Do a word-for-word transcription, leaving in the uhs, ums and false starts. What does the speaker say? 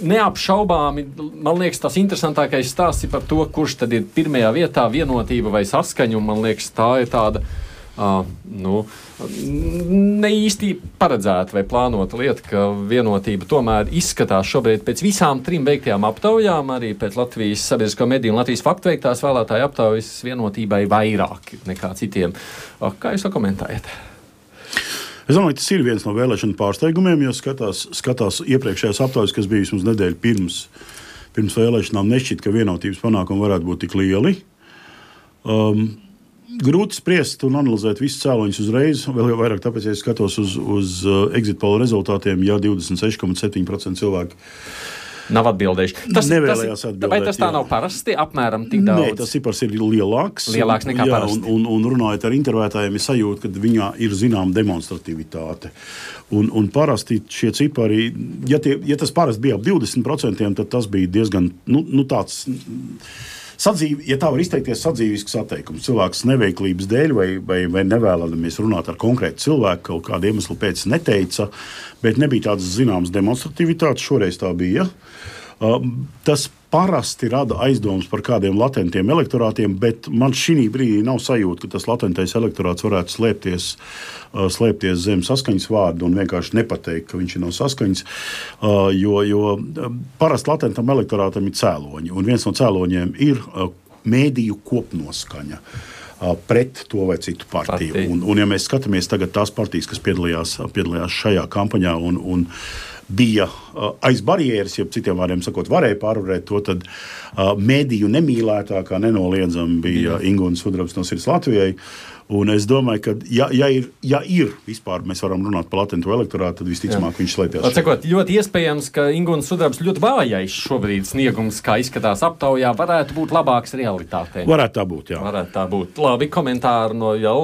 neapšaubāmi, man liekas, tas interesantākais stāsts ir par to, kurš tad ir pirmajā vietā, vienotība vai saskaņa, un man liekas, tā ir tāda Uh, nu, ne īsti paredzēta vai plānota lieta, ka vienotība tomēr izskatās šobrīd pēc visām trim veiktajām aptaujām, arī pēc Latvijas sabiedrisko mediju un Latvijas faktu veiktās vēlētāju aptaujas vienotībai vairāk nekā citiem. Uh, kā jūs to komentējat? Es domāju, tas ir viens no vēlēšanu pārsteigumiem, jo skatās, skatās iepriekšējās aptaujas, kas bija vismaz nedēļu pirms, pirms vēlēšanām, nešķiet, ka vienotības panākumi varētu būt tik lieli. Um, Grūti spriest un analizēt visus cēloņus uzreiz, vēl jau vairāk tāpēc, ja es skatos uz, uz uh, exit poll rezultātiem, ja divdesmit seši komats septiņi procenti cilvēki nav atbildējuši. Tas, nevēlējās tas, atbildēt. Vai tas tā jā. Nav parasti, apmēram tik daudz? Nē, tas cipars ir lielāks. Lielāks nekā jā, parasti. Un, un, un runājot ar intervētājiem, ir sajūta, ka viņā ir zinām demonstrativitāte. Un, un parasti šie cipari, ja, tie, ja tas parasti bija ap divdesmit procentiem, tad tas bija diezgan, nu, nu tāds... Sadzīvi, ja tā var izteikties, sadzīvisks atteikums. Cilvēks neveiklības dēļ vai, vai, vai nevēlamies runāt ar konkrētu cilvēku, kaut kādu iemeslu pēc neteica, bet nebija tādas zināmas demonstrativitātes, šoreiz tā bija. Uh, tas parasti rada aizdomas par kādiem latentiem elektorātiem, bet man šī brīdī nav sajūta, ka tas latentais elektorāts varētu slēpties, uh, slēpties zem saskaņas vārdu un vienkārši nepateikt, ka viņš ir no saskaņas, uh, jo, jo parasti latentam elektorātam ir cēloņi, un viens no cēloņiem ir uh, mēdīju kopnoskaņa pret to vai citu partiju. Partija. Un, un ja mēs skatāmies tagad tās partijas, kas piedalījās, piedalījās šajā kampaņā un, un bija uh, aiz barjeras, ja citiem vārdiem sakot, varēja pārvarēt to, tad uh, mēdīju nemīlētākā nenoliedzami bija Ingūna Sudrabs no Sirds Latvijai. Un es domāju, ka, ja, ja, ir, ja ir vispār, mēs varam runāt par latentu elektorātu, tad visticamāk viņš slēpjas. Atsakot, ļoti iespējams, ka Ingūna Sudrabs ļoti vājais šobrīd sniegums, kā izskatās aptaujā, varētu būt labāks realitātē. Varētu tā būt, jā. Varētu tā būt. Labi, komentāri no jau